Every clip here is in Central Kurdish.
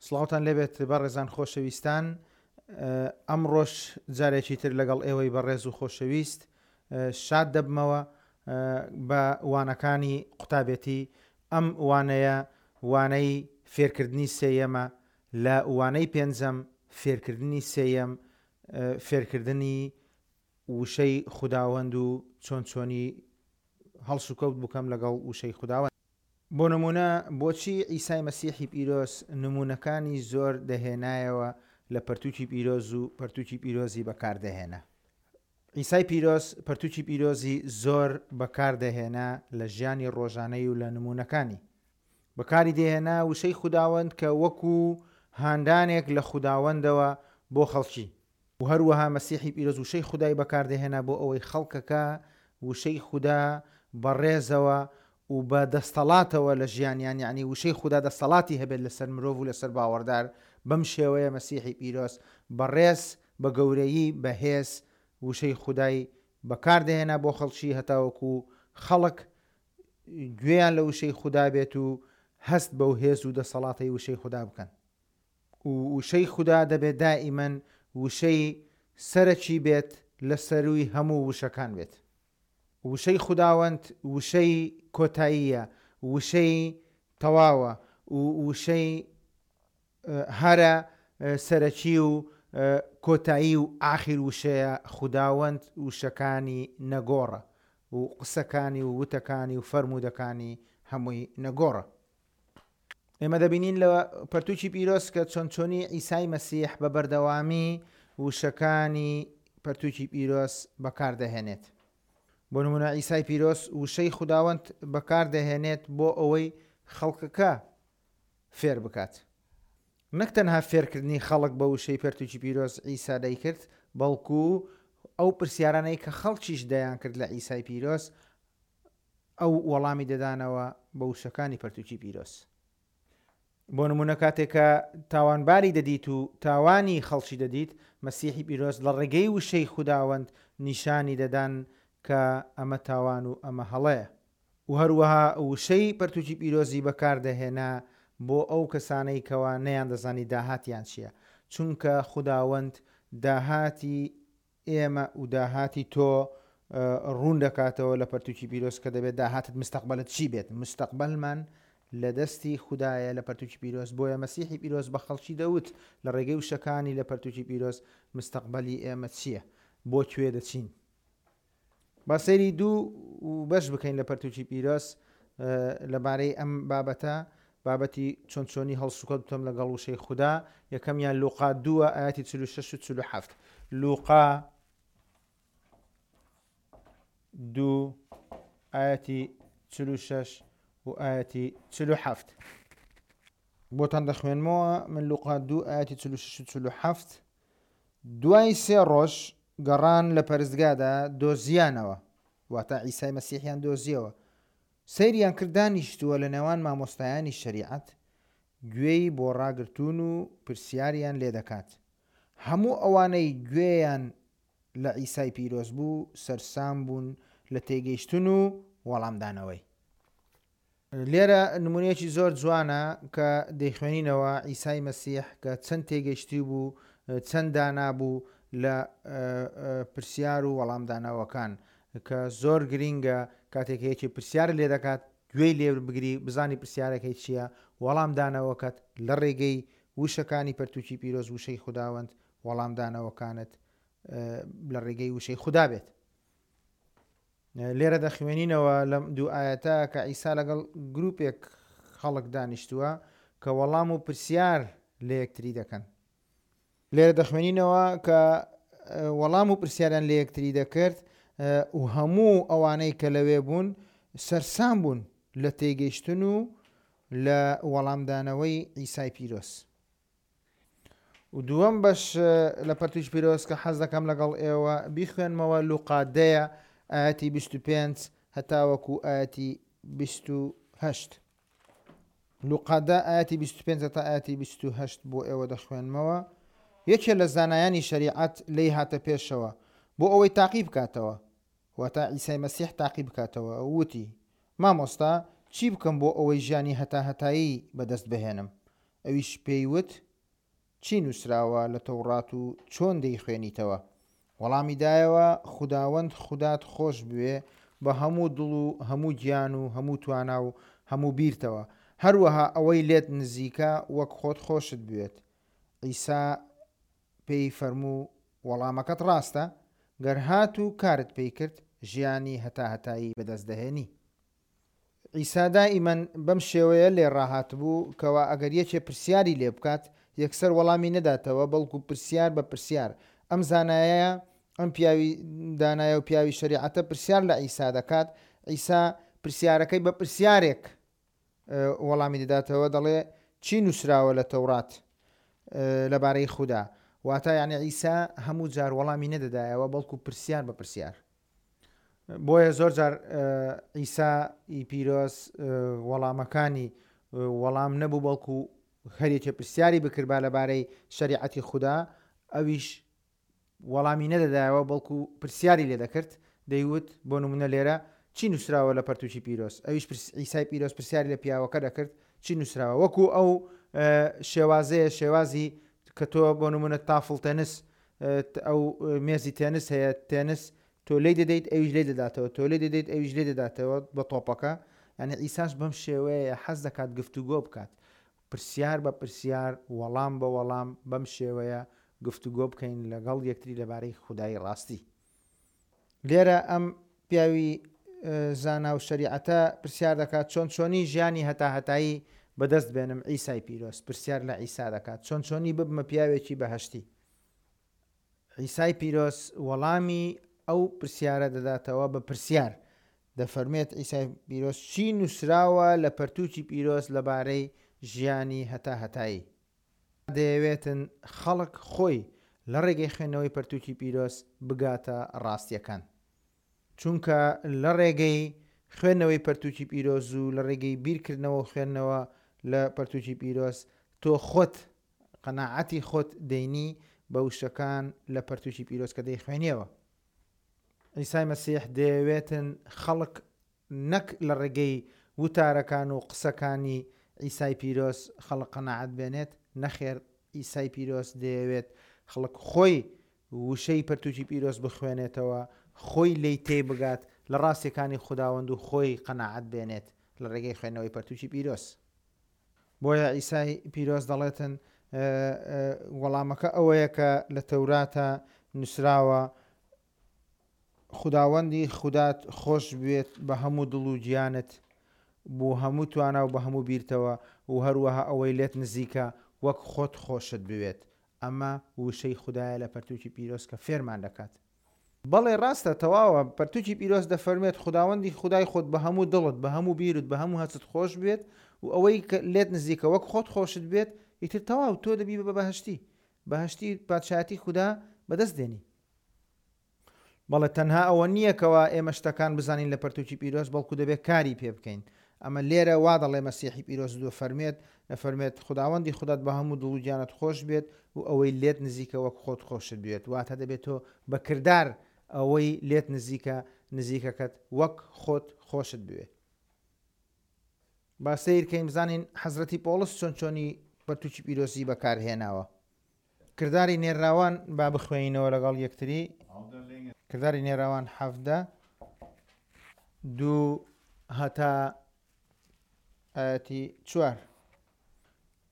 سڵاوتان لێبێت بەڕێزان خۆشەویستان ئەمڕۆش جارێکی تر لەگەڵ ئێوەی بەڕێز و خۆشەویست شاد دەبمەوە بە وانەکانی قوتابێتی ئەم وانەیە وانەی فێرکردنی سێیەمە لە وانەی پێنجەم فێرکردنی سێیەم فێرکردنی وشەی خوداوەند و چۆن چۆنی هەڵسوکەوت بکەم لەگەڵ وشەی خوداوەند. بۆ نموونە بۆچی عیسای مەسیحی پیرۆز نموونەکانی زۆر دەهێنایەوە لە پەرتووکی پیرۆز و پەرتووکی پیرۆزی بەکار دەهێنا؟ عیسای پیرۆز پەرتووکی پیرۆزی زۆر بەکار دەهێنا لە ژیانی ڕۆژانەی و لە نموونەکانی. بەکاری دەهێنا وشەی خوداوەند کە وەکو هاندانێک لە خوداوەندەوە بۆ خەڵکی. و هەروەها مەسیحی پیرۆز وشەی خودای بەکاردەهێنا بۆ ئەوەی خەڵکەکە وشەی خودا بە ڕێزەوە و بە دەستەڵاتەوە لە ژیانیان یەعنی وشەی خودا دەستەڵاتی هەبێت لەسەر مرۆڤ و لەسەر باوەڕدار بەم شێوەیە مەسیحی پیرۆز بە ڕێز بە گەورەیی بە هێز وشەی خودای بەکاردەهێنا بۆ خەڵکی هەتاوەکو خەڵک گوێیان لە وشەی خودا بێت و هەست بەو هێز و دەسەڵاتەی وشەی خودا بکەن. وشەی خودا دەبێت دائیمەن وشەی سەرەکی بێت لە سەرووی هەموو وشەکان بێت. وشەی خوداوەند وشەی کۆتاییە، وشەی تەواوە و وشەی هەرە سەرەکی و کۆتایی و ئاخیر وشەیە، خوداوەند وشەکانی نەگۆڕە و قسەکانی و وتەکانی و فەرموودەکانی هەمووی نەگۆڕە. ئێمە دەبینین لە پەرتوکی پیرۆز کە چۆن چۆنی عیسای مەسیح بە بەردەوامی وشەکانی پەرتوکی پیرۆز بەکاردەهێنێت. بۆ نمونە عیسای پیرۆز وشەی خوداوەند بەکاردەهێنێت بۆ ئەوەی خەڵکەکە فێر بکات. نەک تەنها فێرکردنی خەڵک بە وشەی پەرتوکی پیرۆز عیسا دەیکرد، بەڵکو ئەو پرسیارانەی کە خەڵکیش دەیانکرد لە عیسای پیرۆز ئەو وەڵامی دەدانەوە بە وشەکانی پەرتوکی پیرۆز. بۆ نمونە کاتێک کە تاوانباری دەدیت و تاوانی خەڵکی دەدیت، مەسیحی پیرۆز لە ڕێگەی وشەی خوداوەند نیشانی دەدان کە ئەمە تاوان و ئەمە هەڵەیە. و هەروەها وشەی پەرتوکی پیرۆزی بەکار دەهێنا بۆ ئەو کەسانەی کەوا نەیاندەزانی داهاتیان چیە، چونکە خوداوەند داهاتی ئێمە و داهاتی تۆ ڕوون دەکاتەوە لە پەرتوکی پیرۆز کە دەبێت داهاتت مستەقبەلت چی بێت مستەقبەلمان لە دەستی خودایە لە پەرتوکی پیرۆز بۆیە مەسیحی پیرۆز بە خەڵکی دەوت لە ڕێگەی وشەکانی لە پەرتوکی پیرۆز مستەقبەلی ئێمە چییە بۆ کوێ دەچین با سەیری دوو بەش بکەین لە پەرتوکی پیرۆز لەبارەی ئەم بابەتە بابەتی چۆن چۆنی هەڵسوکەوت بکەم لەگەڵ وشەی خودا یەکەمیان لوقا دووە ئاەتی 46 و 47 لوقا دوو ئاەتی 46 و ئاەتی 47 بۆتان دەخوێنمەوە من لوقا دوو ئاەتی 46 و 47 دوای سێ ڕۆژ گەڕان لە پەرستگادا دۆزیانەوە، واتە عیسای مەسیحیان دۆزیەوە، سەیریان کرد دانیشتووە لە نێوان مامۆستایانی شەریعەت، گوێی بۆ ڕاگرتوون و پرسیاریان لێ دەکات. هەموو ئەوانەی گوێیان لە عیسای پیرۆز بوو سەرسام بوون لە تێگەیشتن و وەڵامدانەوەی. لێرە نمونەیەکی زۆر جوانە کە دەیخوێنینەوە عیسای مەسیح کە چەند تێگەیشتوو بوو چەند دانا بوو لە پرسیار و وەڵامدانەوەکان کە زۆر گرینگە کاتێک یەکێ پرسیار لێ دەکات گوێی لێ بگری بزانی پرسیارەکەی چییە وەڵامدانەوەکەت لە ڕێگەی وشەکانی پەرتوکی پیرۆز وشەی خوداوەند وەڵامدانەوەکانت لە ڕێگەی وشەی خودا بێت. لێرە دەخوێنینەوە لەم دوو ئایەتە کە عیسا لەگەڵ گروپێک خەڵک دانیشتووە کە وەڵام و پرسیار لە یەکتری دەکەن. لێرە دەخوێنینەوە کە وەڵام و پرسیاریان لە یەکتری دەکرد و هەموو ئەوانەی کە لەوێ بوون سەرسام بوون لە تێگەیشتن و لە وەڵامدانەوەی عیسای پیرۆز. و دووەم بەش لە پەرتوکی پیرۆز کە حەز دەکەم لەگەڵ ئێوە بیخوێنمەوە لوقا دەیە ئایەتی 25 هەتاوەکو ئایەتی 28 لوقا دە ئایەتی 25 هەتا ئایەتی 28 بۆ ئێوە دەخوێنمەوە یەکێ لە زانایانی شەریعەت لێی هاتە پێشەوە بۆ ئەوەی تاقی بکاتەوە واتە عیسای مەسیح تاقی بکاتەوە وتی مامۆستا چی بکەم بۆ ئەوەی ژیانی هەتاهەتایی بەدەست بهێنم؟ ئەویش پێی وت، چی نووسراوە لە تەوڕات و چۆن دەیخوێنیتەوە؟ وەڵامی دایەوە، خوداوەند خودات خۆش بوێ بە هەموو دڵ و هەموو گیان و هەموو توانا و هەموو بیرتەوە، هەروەها ئەوەی لێت نزیکە وەک خۆت خۆشت بوێت. عیسا پێی فەرموو، وەڵامەکەت ڕاستە، گەر هاتوو کارت پێی کرد، ژیانی هەتاهەتایی بەدەست دەهێنی. عیسا دائیمەن بەم شێوەیە لێ ڕاهاتبوو کەوا ئەگەر یەکێ پرسیاری لێ بکات یەکسەر وەڵامی نەداتەوە بەڵکو پرسیار بە پرسیار ئەم زانایە ئەم پیاوی دانایە و پیاوی شەریعەتە پرسیار لە عیسا دەکات عیسا پرسیارەکەی بە پرسیارێک وەڵامی دەداتەوە دەڵێ چی نووسراوە لە تەورات لەبارەی خودا واتە یعنی عیسا هەموو جار وەڵامی نەدەدایەوە بەڵکو پرسیار بە پرسیار بۆیە زۆر جار عیسا ی پیرۆز وەڵامەکانی وەڵام نەبوو بەڵکو هەرێکێ پرسیاری بکردبا لەبارەی شەریعەتی خودا ئەویش وەڵامی نەدەدایەوە بەڵکو پرسیاری لێ دەکرد دەیوت بۆ نمونە لێرە چی نووسراوە لە پەرتوکی پیرۆز ئەویش عیسای پیرۆز پرسیاری لە پیاوەکە دەکرد چی نووسراوە وەکو ئەو شێوازەیە شێوازی کە تۆ بۆ نمونە تافڵ تەنس ئەو مێزی تێنس هەیە تێنس تۆ لێی دەدەیت ئەویش لێی دەداتەوە تۆ لێی دەدەیت ئەویش لێی دەداتەوە بە تۆپەکە یعنی عیساش بەم شێوەیە حەز دەکات گفتوگۆ بکات پرسیار بە پرسیار وەڵام بە وەڵام بەم شێوەیە گفتوگۆ بکەین لەگەڵ یەکتری لەبارەی خودای ڕاستی لێرە ئەم پیاوی زانا و شەریعەتە پرسیار دەکات چۆن چۆنی ژیانی هەتاهەتایی بەدەست بێنم عیسای پیرۆز پرسیار لە عیسا دەکات چۆن چۆنی ببمە پیاوێکی بەهەشتی عیسای پیرۆز وەڵامی ئەو پرسیارە دەداتەوە بە پرسیار دەفەرمێت عیسای پیرۆز چی نووسراوە لە پەرتووکی پیرۆز لەبارەی ژیانی هەتاهەتایی دەیەوێتن خەڵک خۆی لە ڕێگەی خوێندنەوەی پەرتووکی پیرۆز بگاتە ڕاستیەکان. چونکە لە ڕێگەی خوێندنەوەی پەرتووکی پیرۆز و لە ڕێگەی بیرکردنەوە و خوێندنەوە لە پەرتووکی پیرۆز تۆ خۆت قەناعەتی خۆت دەینی بە وشەکان لە پەرتووکی پیرۆز کە دەیخوێنیەوە. عیسای مەسیح دەیەوێتن خەڵک نەک لە ڕێگەی وتارەکان و قسەکانی عیسای پیرۆز خەڵک قەناعەت بێنێت، نەخێر عیسای پیرۆز دەیەوێت خەڵک خۆی وشەی پەرتوکی پیرۆز بخوێنێتەوە، خۆی لێی تێبگات لە ڕاستیەکانی خوداوەند و خۆی قەناعەت بێنێت لە ڕێگەی خوێندنەوەی پەرتوکی پیرۆز. بۆیە عیسای پیرۆز دەڵێتن وەڵامەکە ئەوەیە کە لە تەوراتە نووسراوە خوداوەندی خودات خۆش بوێت بە هەموو دڵ و گیانت بو هەموو توانا و بە هەموو بیرتەوە و هەروەها ئەوەی لێت نزیکە وەک خۆت خۆشت بوێت. ئەمە وشەی خودایە لە پەرتوکی پیرۆز کە فێرمان دەکات. بەڵێ ڕاستە تەواوە، پەرتوکی پیرۆز دەفەرموێت خوداوەندی خودای خۆت بە هەموو دڵت، بە هەموو بیرت، بە هەموو هەستت خۆش بوێت و ئەوەی کە لێت نزیکە وەک خۆت خۆشت بوێت، ئیتر تەواو تۆ دەبی بە بەهەشتی. بەهەشتی پادشایەتی خودا بەدەست دێنی. بەڵێ تەنها ئەوە نییە کەوا ئێمە شتەکان بزانین لە پەرتوکی پیرۆز بەڵکو دەبێت کاری پێ بکەین ئەمە لێرە وا دەڵێ مەسیحی پیرۆز دەفەرموێت دەفەرموێت خوداوەندی خودات بە هەموو دڵ و گیانت خۆش بێت و ئەوەی لێت نزیکە وەک خۆت خۆشت بوێت واتە دەبێت تۆ بە کردار ئەوەی لێت نزیکە نزیکەکەت وەک خۆت خۆشت بوێ با سەیر کەین بزانین حەزرەتی پۆڵس چۆن چۆنی پەرتوکی پیرۆزی بەکارهێناوە کرداری نێرراوان با بخوێنینەوە لەگەڵ یەکتری کرداری نێراوان حەفدە دوو هەتا ئاەتی چوار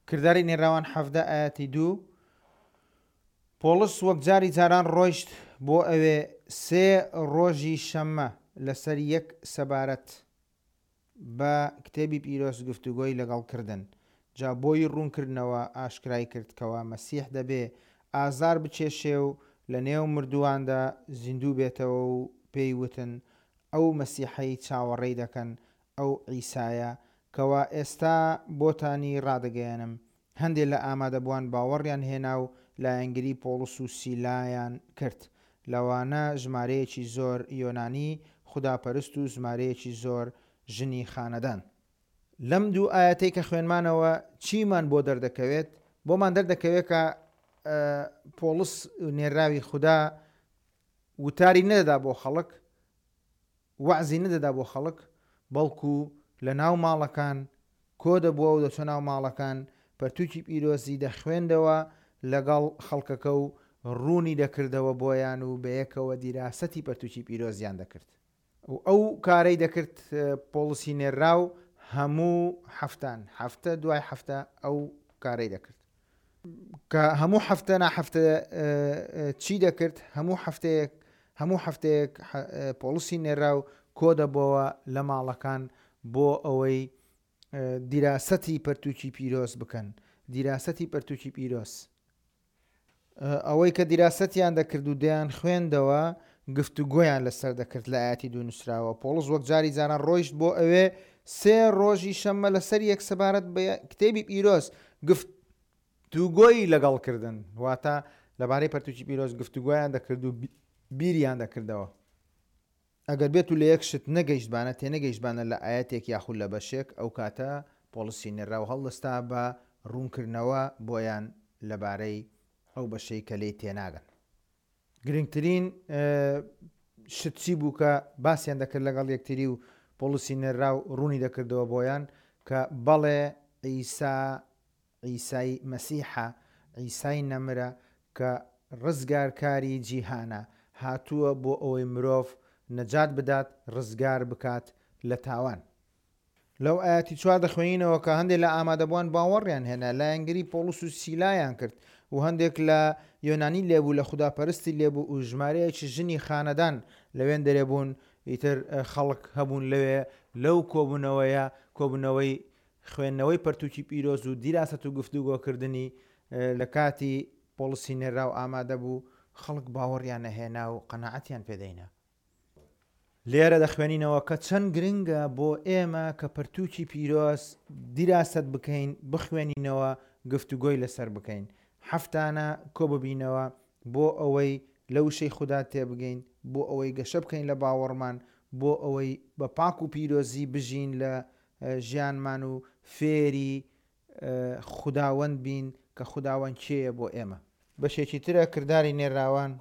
کرداری نێراوان حەفدە ئاەتی دوو پۆڵس وەک جاری جاران ڕۆیشت بۆ ئەوێ سێ ڕۆژی شەممە لەسەر یەک سەبارەت بە کتێبی پیرۆز گفتوگۆی لەگەڵ کردن، جا بۆی ڕوون کردنەوە ئاشکرای کرد کەوا مەسیح دەبێ ئازار بچێشێ و لە نێو مردوواندا زیندوو بێتەوە و پێی وتن، ئەو مەسیحەی چاوەڕێی دەکەن ئەو عیسایە کەوا ئێستا بۆتانی ڕادەگەیەنم. هەندێ لە ئامادەبووان باوەڕیان هێنا و لایەنگری پۆڵس و سیلایان کرد، لەوانە ژمارەیەکی زۆر یۆنانی خوداپەرست و ژمارەیەکی زۆر ژنی خانەدان. لەم دوو ئایەتەی کە خوێنمانەوە چیمان بۆ دەردەکەوێت؟ بۆمان دەردەکەوێت کە پۆڵس نێرراوی خودا وتاری نەدەدا بۆ خەڵک، وەعزی نەدەدا بۆ خەڵک، بەڵکو لە ناو ماڵەکان کۆ دەبووە و دەچوە ناو ماڵەکان پەرتووکی پیرۆزی دەخوێندەوە لەگەڵ خەڵکەکە و ڕوونی دەکردەوە بۆیان و بەیەکەوە دیراسەتی پەرتووکی پیرۆزیان دەکرد. و ئەو کارەی دەکرد پۆڵسی نێرراو هەموو هەفتان، هەفتە دوای هەفتە ئەو کارەی دەکرد. کە هەموو هەفتە نا هەفتە چی دەکرد؟ هەموو هەفتەیەک هەموو هەفتەیەک پۆڵسی نێرراو کۆدەبۆوە لە ماڵەکان بۆ ئەوەی دیراسەتی پەرتووکی پیرۆز بکەن. دیراسەتی پەرتووکی پیرۆز. ئەوەی کە دیراسەتیان دەکرد و دەیان خوێندەوە گفتوگۆیان لەسەر دەکرد لە ئاەتی دوو نووسراوە پۆڵس وەک جاری جاران ڕۆیشت بۆ ئەوێ سێ ڕۆژی شەممە لەسەر یەک سەبارەت بە کتێبی پیرۆز گفتوگۆی لەگەڵ کردن واتە لەبارەی پەرتوکی پیرۆز گفتوگۆیان دەکرد و بیریان دەکردەوە. ئەگەر بێتو لە یەک شت نەگەیشتبانە، تێنەگەیشتبانە لە ئایەتێک یاخود لە بەشێک، ئەو کاتە پۆڵسی نێرراو هەڵدەستا بە ڕوونکردنەوە بۆیان لەبارەی ئەو بەشەی کە لێی تێناگەن. گرنگترین شت چی بوو کە باسیان دەکرد لەگەڵ یەکتری و پۆڵسی نێرراو ڕوونی دەکردەوە بۆیان کە بەڵێ عیسا عیسای مەسیحە، عیسای نەمرە کە ڕزگارکاری جیهانە، هاتووە بۆ ئەوەی مرۆڤ نەجات بدات، ڕزگار بکات لە تاوان. لەو ئایەتی چوار دەخوێنینەوە کە هەندێک لە ئامادەبووان باوەڕیان هێنا، لایەنگری پۆڵس و سیلایان کرد و هەندێک لە یۆنانی لێبوو لە خوداپەرستی لێبوو و ژمارەیەکی ژنی خانەدان لەوێندەرێ بوون، ئیتر خەڵک هەبوون لەوێ لەو کۆبوونەوەیە، کۆبوونەوەی خوێندنەوەی پەرتووکی پیرۆز و دیراسەت و گفتوگۆکردنی لە کاتی پۆڵسی نێرراو ئامادە بوو، خەڵک باوەڕیان ئەهێنا و قەناعەتیان پێ دەینا. لێرە دەخوێنینەوە کە چەند گرنگە بۆ ئێمە کە پەرتووکی پیرۆز دیراسەت بکەین، بخوێنینەوە، گفتوگۆی لەسەر بکەین. هەفتانە کۆببینەوە بۆ ئەوەی لە وشەی خودا تێبگەین، بۆ ئەوەی گەشە بکەین لە باوەڕمان، بۆ ئەوەی بە پاک و پیرۆزی بژین لە ژیانمان و فێری خوداوەند بین کە خوداوەند کێیە بۆ ئێمە. بەشێکی ترە کرداری نێرراوان.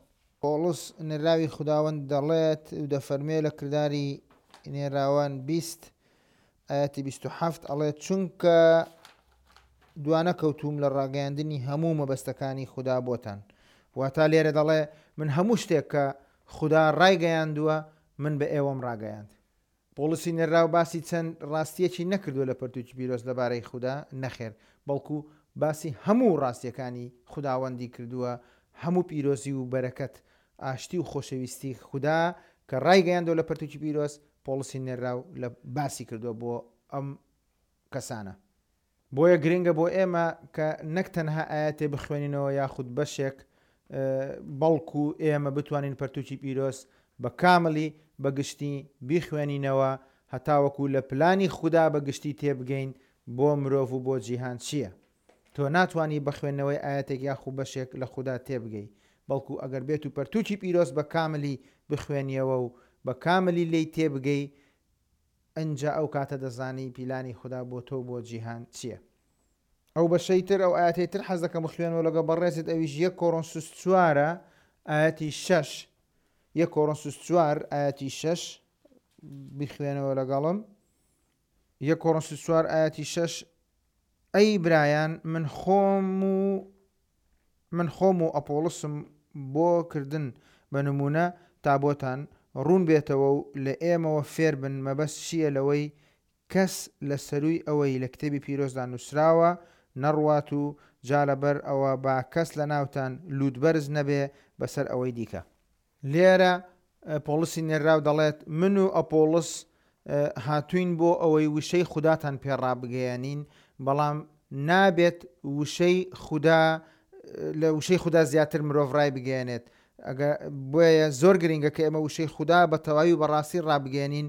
پۆڵس نێرراوی خوداوەند دەڵێت و دەفەرموێ لە کرداری نێرراوان 20 ئایەتی 27 ئەڵێت چونکە دوانەکەوتووم لە ڕاگەیاندنی هەموو مەبەستەکانی خودا بۆتان. واتا لێرە دەڵێ من هەموو شتێک کە خودا ڕایگەیاندووە من بە ئێوەم ڕاگەیاند. پۆڵسی نێرراو باسی چەند ڕاستییەکی نەکردووە لە پەرتووکی پیرۆز لەبارەی خودا، نەخێر، بەڵکو باسی هەموو ڕاستییەکانی خوداوەندی کردووە، هەموو پیرۆزی و بەرەکەت، ئاشتی و خۆشەویستی خودا کە ڕایگەیاندووە لە پەرتووکی پیرۆز، پۆڵسی نێرراو لە باسی کردووە بۆ ئەم کەسانە. بۆیە گرنگە بۆ ئێمە کە نەک تەنها ئایەتێ بخوێنینەوە یاخود بەشێک بەڵکو ئێمە بتوانین پەرتوکی پیرۆز بە کاملی بە گشتی بیخوێنینەوە هەتاوەکو لە پلانی خودا بە گشتی تێبگەین بۆ مرۆڤ و بۆ جیهان چییە. تۆ ناتوانی بە خوێندنەوەی ئایەتێک یاخو بەشێک لە خودا تێبگەی بەڵکو ئەگەر بێتو پەرتوکی پیرۆز بە کاملی بخوێنیەوە و بە کاملی لێی تێبگەی ئنجا ئەو کاتە دەزانی پیلانی خودا بۆ تۆ و بۆ جیهان چیە. ئەو بەشەی تر ئەو ئایەتەی تر حەز دەکەم بخوێنمەوە لەگەڵ بەڕێزت ئەویش یەک کۆرۆنسوس چوارە ئایەتی شەش یەک کۆرۆنسوس چوار ئایەتی شەش بیخوێنەوە لەگەڵم یەک کۆرۆنسوس چوار ئایەتی شەش ئەی برایان من خۆم و من خۆم و ئەپۆڵسم بۆ کردن بە نموونە تا بۆتان ڕوون بێتەوە و لە ئێمەوە فێر بن مەبەست چییە لەوەی کەس لە سەرووی ئەوەی لە کتێبی پیرۆزدا نووسراوە نەڕوات و جا لەبەر ئەوە با کەس لە ناوتان لووتبەرز نەبێ بەسەر ئەوەی دیکە. لێرە پۆڵسی نێرراو دەڵێت، من و ئەپۆڵس هاتووین بۆ ئەوەی وشەی خوداتان پێ ڕابگەیەنین، بەڵام نابێت وشەی خودا لە وشەی خودا زیاتر مرۆڤ ڕایبگەیەنێت. بۆیە زۆر گرنگە کە ئێمە وشەی خودا بە تەواوی و بەڕاستی ڕابگەیەنین،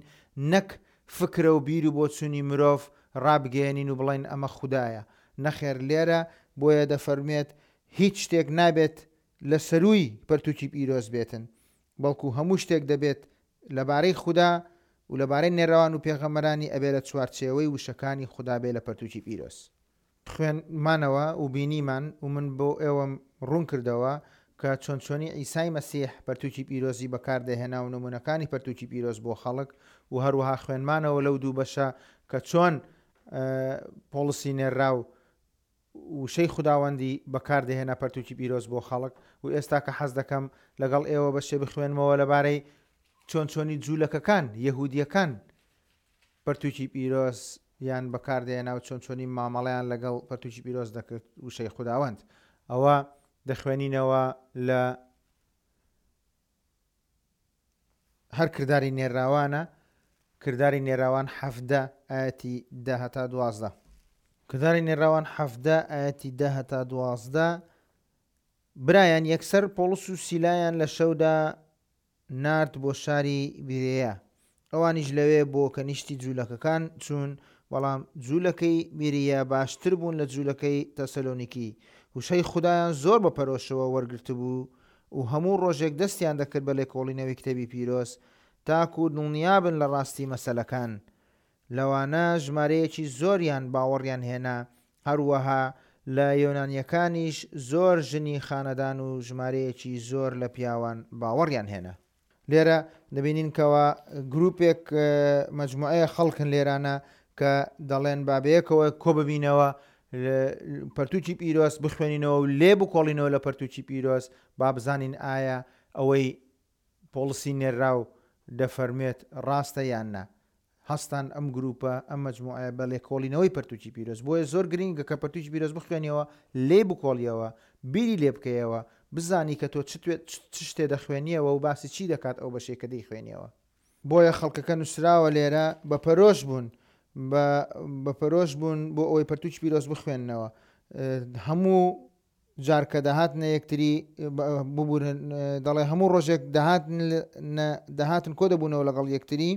نەک فکرە و بیر و بۆچوونی مرۆڤ ڕابگەیەنین و بڵێین ئەمە خودایە. نەخێر لێرە بۆیە دەفەرموێت هیچ شتێک نابێت لە سەرووی پەرتووکی پیرۆز بێتن، بەڵکو هەموو شتێک دەبێت لەبارەی خودا و لەبارەی نێرەوان و پێغەمبەرانی ئەبێ لە چوارچێوەی وشەکانی خودا بێ لە پەرتووکی پیرۆز. خوێندمانەوە و بینیمان و من بۆ ئێوەم ڕوون کردەوە کە چۆن چۆنی عیسای مەسیح پەرتووکی پیرۆزی بەکار دەهێنا و نموونەکانی پەرتووکی پیرۆز بۆ خەڵک و هەروەها خوێندمانەوە لەو دوو بەشە کە چۆن پۆڵسی نێرراو. وشەی خوداوەندی بەکار دەهێنا پەرتووکی پیرۆز بۆ خەڵک و ئێستا کە حەز دەکەم لەگەڵ ئێوە بەشێ بخوێنمەوە لەبارەی چۆن چۆنی جوولەکەکان، یەهودیەکان، پەرتووکی پیرۆز یان بەکار دەهێنا و چۆن چۆنی مامەڵەیان لەگەڵ پەرتووکی پیرۆز دەکرد وشەی خوداوەند. ئەوە دەخوێنینەوە لە هەر کرداری نێرراوانە، کرداری نێراوان 17 ئایەتی 10 هەتا 12. کرداری نێراوان 17 ئایەتی 10 هەتا 12، برایان یەکسەر پۆڵس و سیلایان لە شەودا نارد بۆ شاری بیرێیا. ئەوانیش لەوێ بۆ کەنیشتی جوولەکەکان چوون، بەڵام جوولەکەی بیریە باشتر بوون لە جوولەکەی تەسەلۆنیکی. وشەی خودایان زۆر بە پەرۆشەوە وەرگرتبوو و هەموو ڕۆژێک دەستیان دەکرد بە لێکۆڵینەوەی کتێبی پیرۆز تاکو دڵنیابن لە ڕاستی مەسەلەکان. لەوانە ژمارەیەکی زۆریان باوەڕیان هێنا، هەروەها لە یۆنانییەکانیش زۆر ژنی خانەدان و ژمارەیەکی زۆر لە پیاوان باوەڕیان هێنا. لێرە دەبینین کەوا گروپێک مەجموعەیە خەڵکن لێرانە کە دەڵێن با بەیەکەوە کۆ ببینەوە پەرتوکی پیرۆز بخوێنینەوە و لێ بکۆڵینەوە لە پەرتوکی پیرۆز با بزانین ئایا ئەوەی پۆڵسی نێرراو دەفەرموێت ڕاستە یان نا. هەستان ئەم گروپە، ئەم مەجموعەیە بە لێکۆڵینەوەی پەرتوکی پیرۆز. بۆیە زۆر گرینگە کە پەرتوکی پیرۆز بخوێنیەوە، لێی بکۆڵیەوە، بیری لێ بکەیەوە، بزانی کە تۆ چ شتێ دەخوێنیەوە و باسی چی دەکات ئەو بەشەی کە دەیخوێنیەوە. بۆیە خەڵکەکە نووسراوە لێرە بە پەرۆش بوون، بە بە پەرۆش بوون بۆ ئەوەی پەرتوکی پیرۆز بخوێننەوە. هەموو جار کە دەهاتنە یەکتری، ببورن، دەڵێ هەموو ڕۆژێک دەهاتن کۆ دەبوونەوە لەگەڵ یەکتری،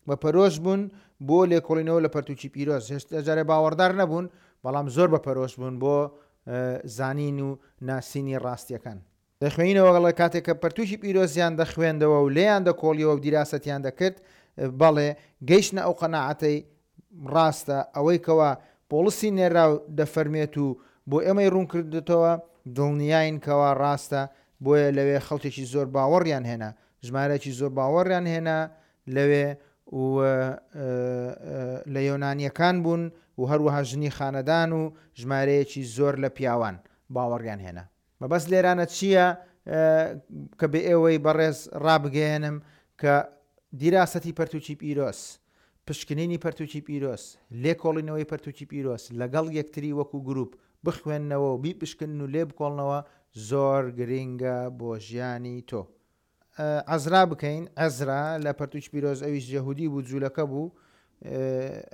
بە پەرۆش بوون بۆ لێکۆڵینەوە لە پەرتوکی پیرۆز. هێشتا جارێ باوەڕدار نەبوون، بەڵام زۆر بە پەرۆش بوون بۆ زانین و ناسینی ڕاستیەکان. دەخوێنینەوە دەڵێ کاتێک کە پەرتوکی پیرۆزیان دەخوێندەوە و لێیان دەکۆڵیەوە و دیراسەتیان دەکرد، بەڵێ گەیشتنە ئەو قەناعەتەی ڕاستە ئەوەی کەوا پۆڵسی نێرراو دەفەرموێت و بۆ ئێمەی ڕوون کردۆتەوە، دڵنیاین کەوا ڕاستە، بۆیە لەوێ خەڵکێکی زۆر باوەڕیان هێنا، ژمارەیەکی زۆر باوەڕیان هێنا لەوێ و لە یۆنانییەکان بوون و هەروەها ژنی خانەدان و ژمارەیەکی زۆر لە پیاوان باوەڕیان هێنا. مەبەست لێرانە چییە کە بە ئێوەی بەڕێز ڕابگەیەنم کە دیراسەتی پەرتوکی پیرۆز، پشکنینی پەرتوکی پیرۆز، لێکۆڵینەوەی پەرتوکی پیرۆز لەگەڵ یەکتری وەکو گروپ بخوێننەوە و بیپشکنن و لێبکۆڵنەوە زۆر گرینگە بۆ ژیانی تۆ. عەزرا بکەین، عەزرا لە پەرتوکی پیرۆز ئەویش یەهودی بوو، جوولەکە بوو،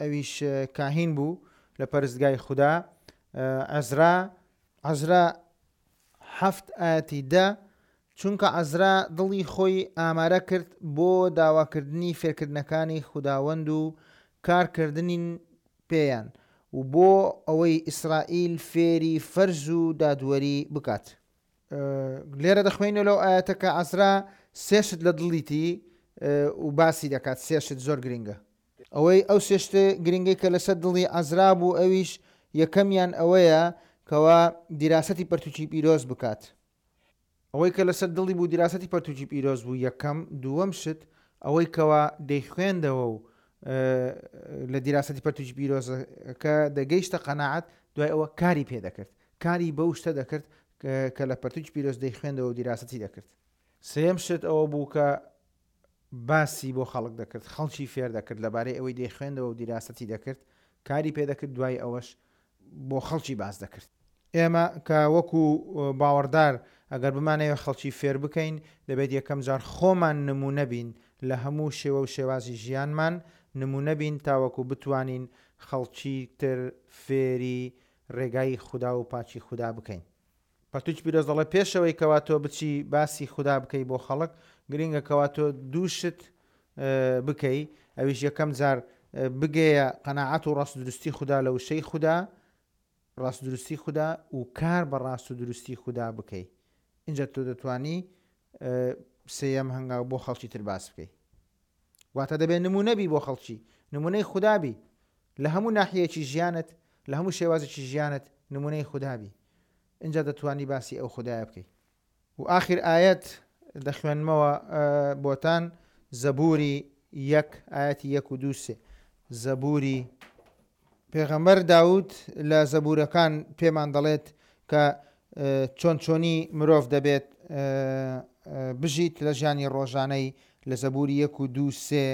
ئەویش کاهین بوو لە پەرستگای خودا. عەزرا عەزرا حەفت ئایەتی دە، چونکە عەزرا دڵی خۆی ئامارە کرد بۆ داواکردنی فێرکردنەکانی خوداوەند و کارکردنین پێیان و بۆ ئەوەی ئیسرائیل فێری فەرز و دادوەری بکات. لێرە دەخوێنینەوە لەو ئایەتە کە عەزرا سێ شت لە دڵیتی و باسی دەکات، سێ شت زۆر گرینگە. ئەوەی ئەو سێ شتە گرنگەی کە لەسەر دڵی عەزرا بوو ئەویش یەکەمیان ئەوەیە کەوا دیراسەتی پەرتوکی پیرۆز بکات. ئەوەی کە لەسەر دڵی بوو دیراسەتی پەرتوکی پیرۆز بوو یەکەم، دووەم شت ئەوەی کەوا دەیخوێندەوە و لە دیراسەتی پەرتوکی پیرۆزەکە دەگەیشتە قەناعەت دوای ئەوە کاری پێ دەکرد، کاری بەو شتە دەکرد کە لە پەرتوکی پیرۆز دەیخوێندەوە و دیراسەتی دەکرد. سێیەم شت ئەوە بوو کە باسی بۆ خەڵک دەکرد، خەڵکی فێر دەکرد لەبارەی ئەوەی دەیخوێندەوە و دیراسەتی دەکرد، کاری پێ دەکرد، دوای ئەوەش بۆ خەڵکی باس دەکرد. ئێمە کە وەکو باوەڕدار ئەگەر بمانەوێت خەڵکی فێر بکەین، دەبێت یەکەم جار خۆمان نموونە بین لە هەموو شێوە و شێوازی ژیانمان نموونە بین تاوەکو بتوانین خەڵکی تر فێری ڕێگای خودا و پاکی خودا بکەین. پەرتوکی پیرۆز دەڵێ پێشەوەی کەوا تۆ بچی باسی خودا بکەی بۆ خەڵک گرینگە کەوا تۆ دوو شت بکەی ئەویش یەکەم جار بگەیە قەناعەت و ڕاست دروستی خودا لە وشەی خودا ڕاست دروستی خودا و کار بە ڕاست و دروستی خودا بکەی اینجا تۆ دەتوانی سێیەم هەنگاو بۆ خەڵکی تر باس بکەی واتە دەبێت نمونە بی بۆ خەڵکی نمونەی خودا بی لە هەموو ناحیەیەکی ژیانت لە هەموو شێوازێکی ژیانت نمونەی خودا بی ئینجا دەتوانی باسی ئەو خودایە بکەی. و ئاخیر ئایەت دەخوێنمەوە بۆتان زەبوری یەک ئایەتی یەک و دوو سێ زەبوری. پێغەمبەر داود لە زەبوورەکان پێمان دەڵێت کە چۆن چۆنی مرۆڤ دەبێت بژیت لە ژیانی ڕۆژانەی لە زەبووری یەک و دوو سێ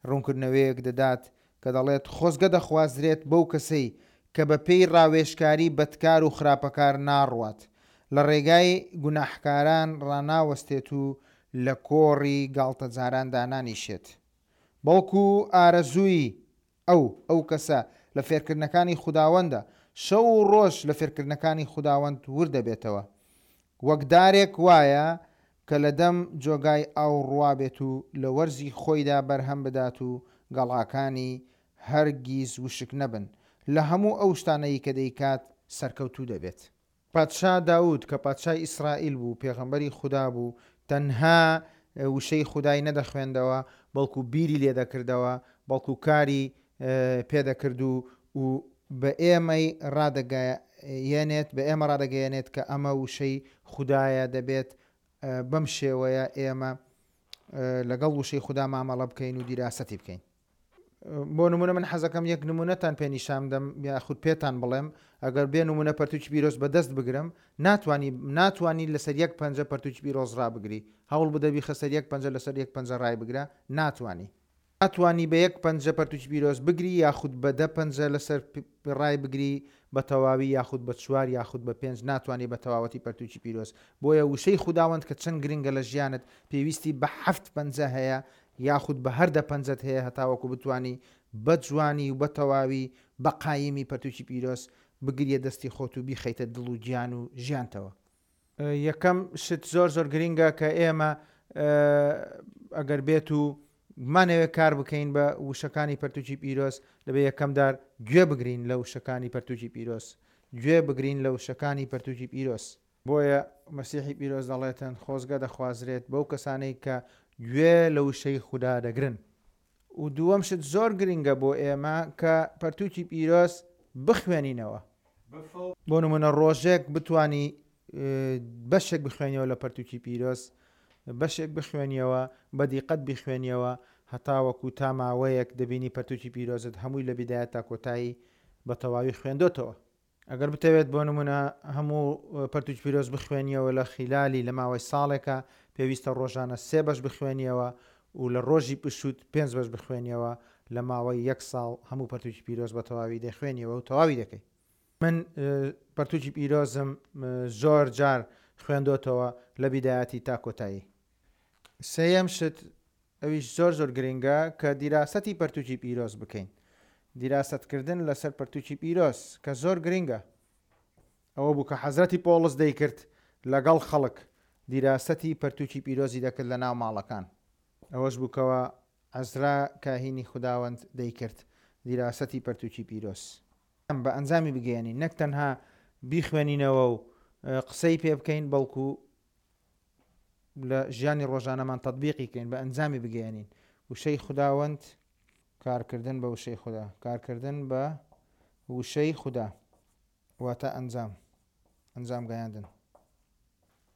ڕوونکردنەوەیەک دەدات کە دەڵێت خۆزگە دەخوازرێت بەو کەسەی کە بە پێی ڕاوێژکاری بەدکار و خراپەکار ناڕوات، لە ڕێگای گوناحکاران ڕاناوەستێت و لە کۆڕی گاڵتەجاران دانانیشێت. بەڵکو ئارەزووی ئەو، ئەو کەسە، لە فێرکردنەکانی خوداوەندە، شەو و ڕۆژ لە فێرکردنەکانی خوداوەند ورد دەبێتەوە. وەک دارێک وایە کە لە دەم جۆگای ئاو ڕوابێت و لە وەرزی خۆیدا بەرهەم بدات و گەڵاکانی هەرگیز وشک نەبن، لە هەموو ئەو شتانەی کە دەیکات سەرکەوتوو دەبێت. پادشا داود کە پادشای ئیسرائیل بوو، پێغەمبەری خودا بوو، تەنها وشەی خودای نەدەخوێندەوە، بەڵکو بیری لێ دەکردەوە، بەڵکو کاری پێ دەکرد و و بە ئێمەی ڕادەگەیەنێت، بە ئێمە ڕادەگەیەنێت کە ئەمە وشەی خودایە، دەبێت بەم شێوەیە ئێمە لەگەڵ وشەی خودا مامەڵە بکەین و دیراسەتی بکەین. بۆ نمونە من حەزەکەم یەک نمونەتان پێ نیشان بدەم یاخود پێتان بڵێم ئەگەر بێ نمونە پەرتوکی پیرۆز بەدەست بگرم ناتوانی ناتوانی لەسەر یەک پەنجە پەرتوکی پیرۆز ڕابگری هەوڵ بدە بیخە سەر یەک پەنجە لەسەر یەک پەنجە ڕای بگرە ناتوانی ناتوانی بە یەک پەنجە پەرتوکی پیرۆز بگری یاخود بە دە پەنجە لەسەر ڕای بگری بە تەواوی یاخود بە چوار یاخود بە پێنج ناتوانی بە تەواوەتی پەرتوکی پیرۆز بۆیە وشەی خوداوەند کە چەند گرنگە لە ژیانت پێویستی بە حەفت پەنجە هەیە یاخود بە هەر دە پەنجەت هەیە هەتاوەکو بتوانی بە جوانی و بە تەواوی بە قایمی پەرتوکی پیرۆز بگریە دەستی خۆت و بیخەیتە دڵ و گیان و ژیانتەوە. یەکەم شت زۆر زۆر گرینگە کە ئێمە ئەگەر بێت و بمانەوێت کار بکەین بە وشەکانی پەرتوکی پیرۆز دەبێ یەکەم دار گوێ بگرین لە وشەکانی پەرتوکی پیرۆز گوێ بگرین لە وشەکانی پەرتوکی پیرۆز. بۆیە مەسیحی پیرۆز دەڵێتن، خۆزگە دەخوازرێت بەو کەسانەی کە گوێ لە وشەی خودا دەگرن. و دووەم شت زۆر گرنگە بۆ ئێمە کە پەرتوکی پیرۆز بخوێنینەوە. بۆ نمونە ڕۆژێک بتوانی بەشێک بخوێنیەوە لە پەرتوکی پیرۆز، بەشێک بخوێنیەوە، بە دیقەت بیخوێنیەوە هەتاوەکو تا ماوەیەک دەبینی پەرتوکی پیرۆزت هەمووی لە بیدایەت تا کۆتایی بە تەواوی خوێندۆتەوە. ئەگەر بتەوێت بۆ نمونە هەموو پەرتوکی پیرۆز بخوێنیەوە لە خیلالی لە ماوەی ساڵێکا پێویستە ڕۆژانە سێ بەش بخوێنیەوە و لە ڕۆژی پشووت پێنج بەش بخوێنیەوە لە ماوەی یەک ساڵ هەموو پەرتوکی پیرۆز بە تەواوی دەخوێنیەوە و تەواوی دەکەی. من پەرتوکی پیرۆزم زۆر جار خوێندۆتەوە لە بیدایەتی تا کۆتایی. سێیەم شت ئەویش زۆر زۆر گرنگە کە دیراسەتی پەرتوکی پیرۆز بکەین دیراسەتکردن لەسەر پەرتوکی پیرۆز کە زۆر گرنگە ئەوە بوو کە حەزرەتی پۆڵس دەیکرد لەگەڵ خەڵک دیراسەتی پەرتوکی پیرۆزی دەکرد لە ناو ماڵەکان ئەوەش بوو کەوا عەزرا کاهینی خوداوەند دەیکرد دیراسەتی پەرتوکی پیرۆز بە ئەنجامی بگەیەنین نەک تەنها بیخوێنینەوە و قسەی پێ بکەین بەڵکو لە ژیانی ڕۆژانەمان تەتبیقی کەین بە ئەنجامی بگەیەنین وشەی خوداوەند کارکردن بە وشەی خودا کارکردن بە وشەی خودا واتە ئەنجام ئەنجام گەیاندن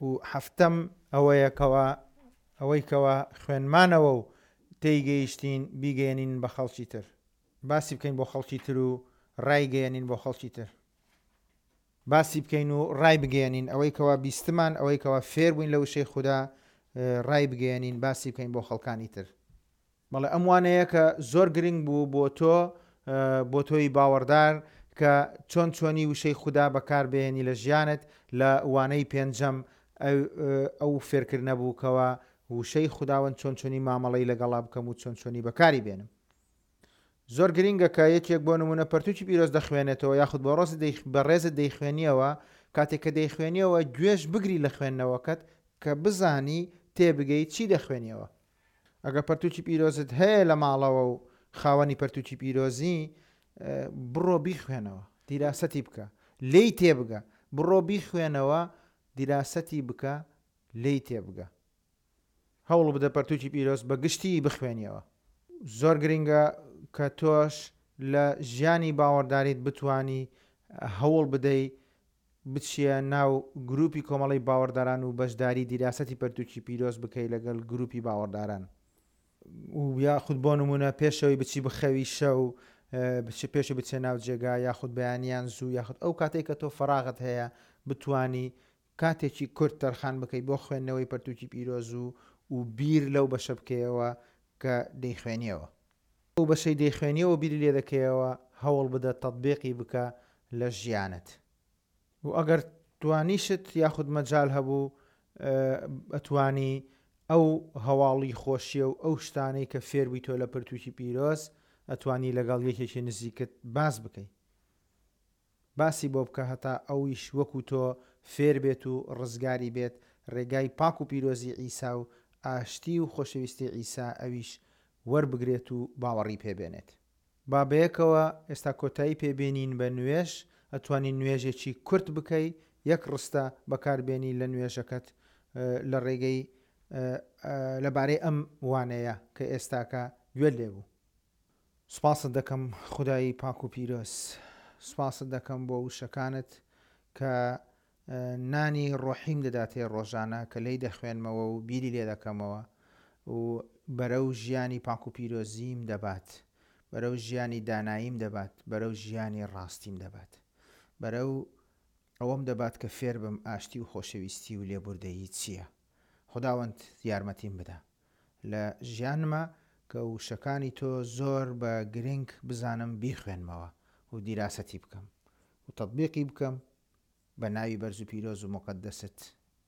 و هەفتەم ئەوەیە کەوا ئەوەی کەوا خوێنمانەوە و تێیگەیشتین بیگەیەنین بە خەڵکی تر باسی بکەین بۆ خەڵکی تر و ڕایگەیەنین بۆ خەڵکی تر باسی بکەین و ڕایبگەیەنین ئەوەی کەوا بیستمان ئەوەی کەوا فێر بووین لە وشەی خودا ڕایبگەیەنین باسی بکەین بۆ خەڵکانی تر. بەڵێ ئەم وانەیە کە زۆر گرنگ بوو بۆ تۆ بۆ تۆی باوەڕدار کە چۆن چۆنی وشەی خودا بەکار بهێنی لە ژیانت لە وانەی پێنجەم ئەو فێرکردنە بوو کەوا وشەی خوداوەند چۆن چۆنی مامەڵەی لەگەڵا بکەم و چۆن چۆنی بەکاری بێنم. زۆر گرینگە کە یەکێک بۆ نموونە پەرتووکی پیرۆز دەخوێنێتەوە یاخود بەڕێزت دەیخوێنیەوە، کاتێک کە دەیخوێنیەوە گوێش بگری لە خوێندنەوەکەت کە بزانی تێبگەی چی دەخوێنیەوە. ئەگەر پەرتووکی پیرۆزت هەیە لە ماڵەوە و خاوەنی پەرتووکی پیرۆزی بڕۆ بیخوێنەوە، دیراسەتی بکە، لێی تێبگە، بڕۆ بیخوێنەوە، دیراسەتی بکە، لێی تێبگە. هەوڵ بدە پەرتوکی پیرۆز بە گشتی بخوێنیەوە. زۆر گرینگە کە تۆش لە ژیانی باوەڕداریت بتوانی هەوڵ بدەی بچیە ناو گروپی کۆمەڵەی باوەڕداران و بەشداری دیراسەتی پەرتوکی پیرۆز بکەی لەگەڵ گروپی باوەڕداران. و یاخود بۆ نمونە پێشەوەی بچی بخەوی شەو پێشی بچێ ناو جێگا یاخود بەیانیان زوو یاخود ئەو کاتێک کە تۆ فەراغت هەیە بتانی کاتێکی کورت تەرخان بکەی بۆ خوێندنەوەی پەرتووکی پیرۆز و و بیر لەو بەشە بکەیەوە کە دەیخوێنیەوە. ئەو بەشەی دەیخوێنیەوە بیری لێ دەکەیەوە هەوڵ بدە تەتبیقی بکە لە ژیانت. و ئەگەر توانیشت یاخود مەجال هەبوو ئەتوانی ئەو هەواڵی خۆشیە و ئەو شتانەی کە فێر بوویتۆ لە پەرتووکی پیرۆز ئەتوانی لەگەڵ یەکێکی نزیکت باس بکەی. باسی بۆ بکە هەتا ئەویش وەکو تۆ فێر بێت و ڕزگاری بێت ڕێگای پاک و پیرۆزی عیسا و ئاشتی و خۆشەویستی عیسا ئەویش وەربگرێت و باوەڕی پێ بێنێت. با بەیەکەوە ئێستا کۆتایی پێ بێنین بە نوێژ، ئەتوانی نوێژێکی کورت بکەی یەک ڕستە بەکار بێنی لە نوێژەکەت لە ڕێگەی لەبارەی ئەم وانەیە کە ئێستاکە گوێت لێ بوو. سوپاست دەکەم خودای پاک و پیرۆز سوپاست دەکەم بۆ وشەکانت کە نانی ڕۆحیم دەداتێ ڕۆژانە کە لێی دەخوێنمەوە و بیری لێ دەکەمەوە و بەرەو ژیانی پاک و پیرۆزیم دەبات بەرەو ژیانی داناییم دەبات بەرەو ژیانی ڕاستیم دەبات بەرەو ئەوەم دەبات کە فێربم ئاشتی و خۆشەویستی و لێبوردەیی چییە خوداوەند یارمەتیم بدە لە ژیانما کە وشەکانی تۆ زۆر بە گرنگ بزانم بیخوێنمەوە و دیراسەتی بکەم و تەتبیقی بکەم بە ناوی بەرز و پیرۆز و موقەدەست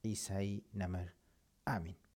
عیسای نەمر ئامین.